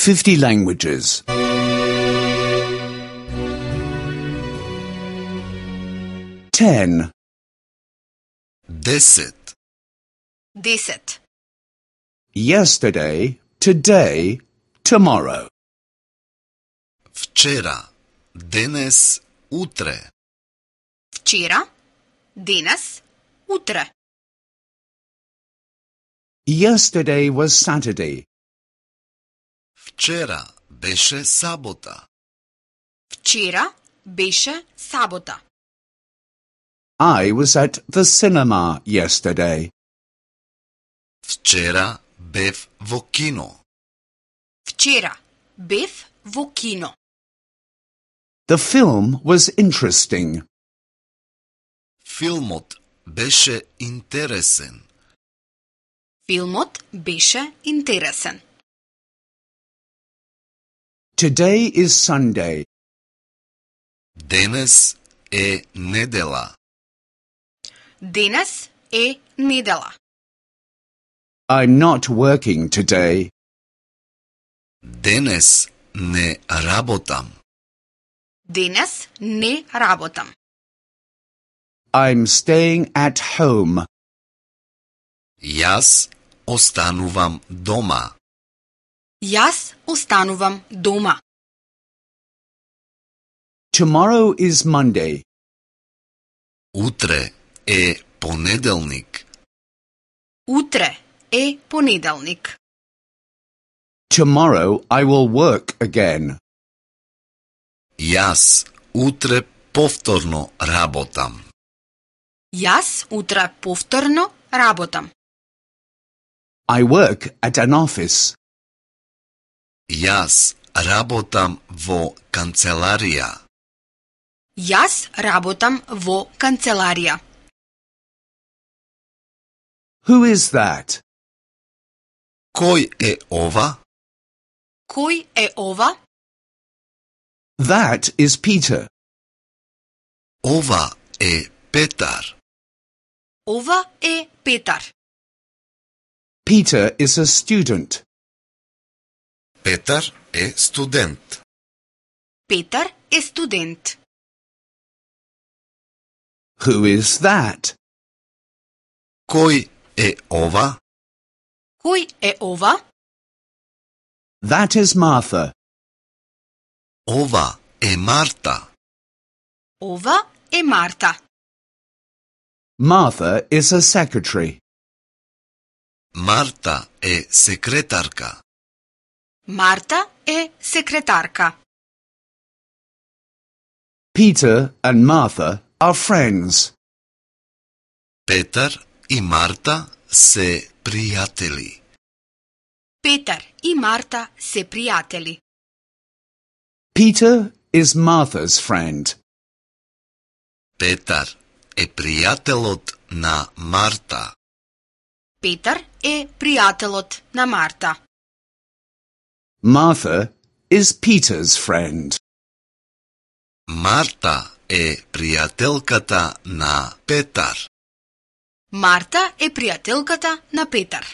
50 languages. 10. 10. 10. Yesterday, today, tomorrow. Вчера, денес, утре. Вчера, денес, утре. Yesterday was Saturday. Вчера беше сабота. Вчера беше сабота. I was at the cinema yesterday. Вчера бев во кино. Вчера бев во кино. The film was interesting. Филмот беше интересен. Филмот беше интересен. Today is Sunday. Денес е недела. Денес е недела. I'm not working today. Денес не работам. Денес не работам. I'm staying at home. Јас останувам дома. Јас останувам дома. Tomorrow is Monday. Утре е понеделник. Утре е понеделник. Tomorrow I will work again. Јас утре повторно работам. Јас утре повторно работам. I work at an office. Јас работам во канцеларија. Јас работам во канцеларија. Who is that? Кој е ова? Кој е ова? That is Peter. Ова е Петар. Ова е Петар. Peter is a student. Петар е студент. Петар е студент. Who is that? Кој е ова? Кој е ова? That is Martha. Ова е Марта. Ова е Марта. Martha is a secretary. Марта е секретарка. Марта е секретарка. Peter and Martha are friends. Петар и Марта се пријатели. Петар и Марта се пријатели. Peter is Martha's friend. Петар е пријателот на Марта. Петар е пријателот на Марта. Martha is Peter's friend. Марта е пријателката на Петар. Марта е пријателката на Петар.